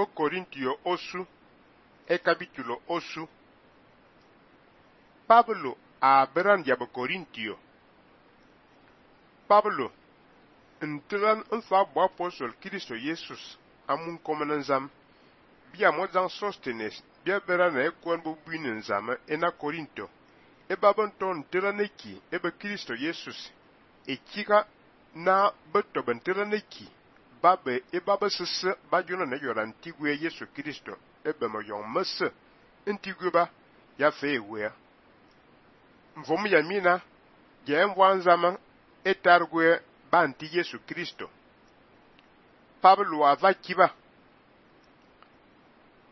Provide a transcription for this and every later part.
bo Corintio osu e capítulo osu. Pablo a beran ya bo Corintio. Pablo ntelan nfa bo apostol Kristo Jesus amun koman nzam bia mozang Sostenes bia beran e kon bo buin nzam ena Corinto e babon ton telan eki e be Kristo Jesus e kika na beto bentelan eki babe e babe sese ba jona ne yora ntigwe Yesu Kristo e be mo yon mese ntigwe ba ya fe ewe mvom ya mina je mwanzama etargwe banti Yesu Kristo. Pablo ava kiba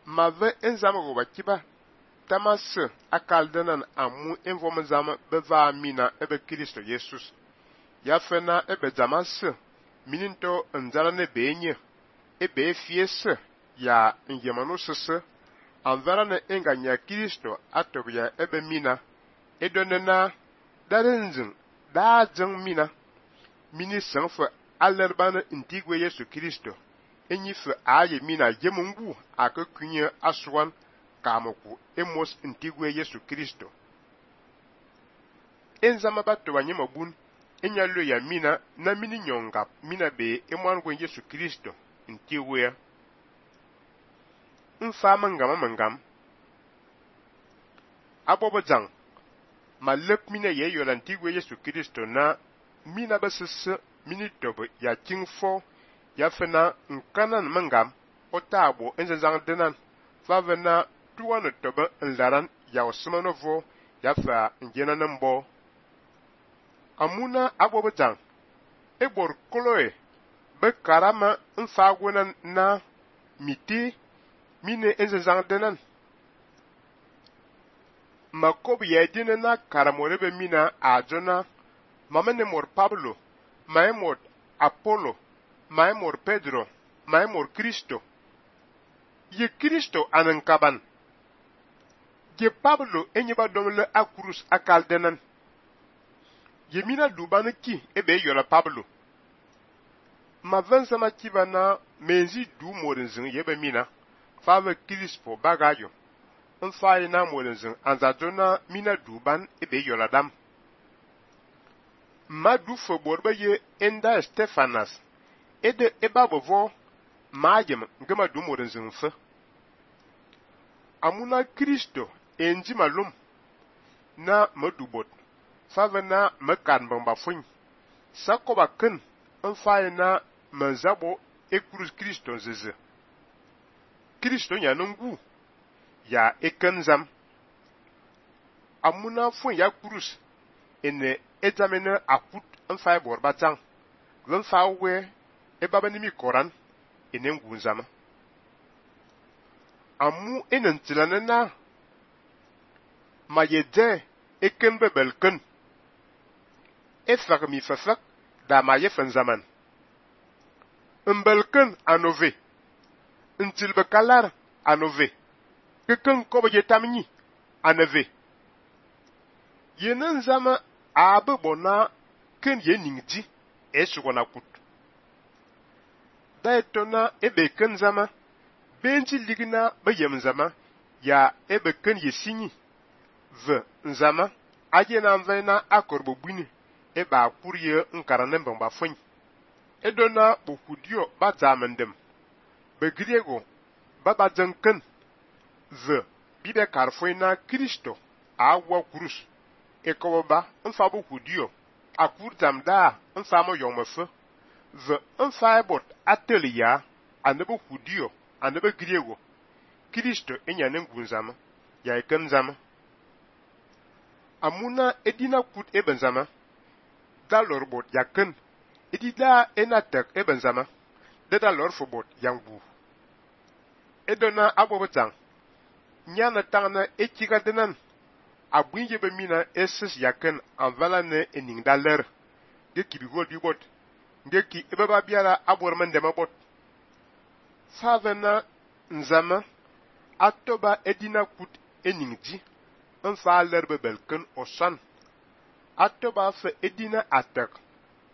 mave enzama go bakiba tamas akaldenan amu envom zama beva mina ebe Kristo Jesus ya fena ebe zamas mininto nzala ne benye ebe fiese ya njemano sese anvara ne enganya Kristo atobya ebe mina edonena darenzin dazeng mina mini sanfa alerban ntigwe Yesu Kristo enyife aye mina jemungu akakunye aswan kamoku emos ntigwe Yesu Kristo enzama bato banyemobun enyalo ya mina na mini nyonga mina be emwango Yesu Kristo ntigwe mfama mangam abobozang malep mina ye yola ntigwe Yesu Kristo na mina basese mini tobo ya kingfo ya fena nkanan mangam otabo enzang denan favena tuwana tobo nlaran ya osmanovo ya fa njena nambo amuna abobozang ebor koloe be karama mfagwena na miti mine enzang denan makobi ya dine na karamorebe mina ajona mamene mor Pablo, maemor Apollo, maemor Pedro, maemor Cristo. Ye Cristo anankaban. Ye Pablo enyeba domle akurus akaldenan. Ye mina dubane ki ebe yola Pablo. Ma vensama kibana menzi du morenzin yebe mina. Fave Crispo bagayo. Nfaye na morenzin anzadona mina duban ebe yola dam. Madu foborba ye enda Stefanas ede ebabovo majem ngama dumoren fe amuna Kristo enji malum na madubot favena mekan bamba fun sakoba ken enfaye na manzabo ekrus Kristo zeze Kristo nyanungu ya ekenzam amuna fun ya krus ene examiner akut enfaye borba tang venfa we ebabanimi koran ene ngunzama amu enentilana mayede ekembe belken efak mi fafak da maye zaman mbelken anove ntilbe kalar anove keken kobe tamni anove yenen zama abe bona ken ye ningdi esugona kut da etona ebe ken zama benji ligna bayem zama ya ebe ken ye sinyi ve nzama aje na mvena akorbo buni eba akurye nkarane mbamba fon edona bokudio bazamendem begriego baba zanken ve bibe karfoina Kristo awa kurus ekoba mfa bokudio akurtam da mfa mo yomefe ve mfa bot atelia anebo kudio anebo griego Kristo enyane ngunzama ya ekenzama amuna edina kut ebenzama dalor bot yaken edida enatek ebenzama de dalor fo bot yangbu edona abobotang nyana tangna ekiga denan abunye be mina eses yaken anvala ne ening daler de kibigol bi bot de ki ebaba biara aborman de mabot favena nzama atoba edina kut eningji nfa lerbe belken osan atoba fe edina atak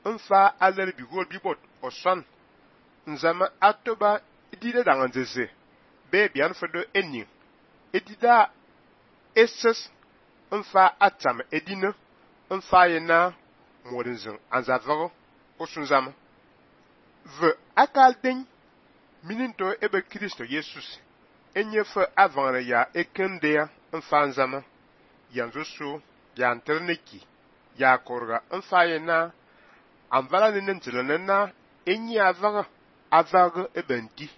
nfa aler bigol bi bot osan nzama atoba edile danganzeze be bian fedo ening edida eses mfa atam edina mfa yena modinzin anzavago osunzama ve akalden mininto ebe Kristo Jesus enyefe avangre ya ekendea mfa nzama yanzu su ya anterneki ya korga mfa yena anvala nene ntilana enyi avaga ebe nti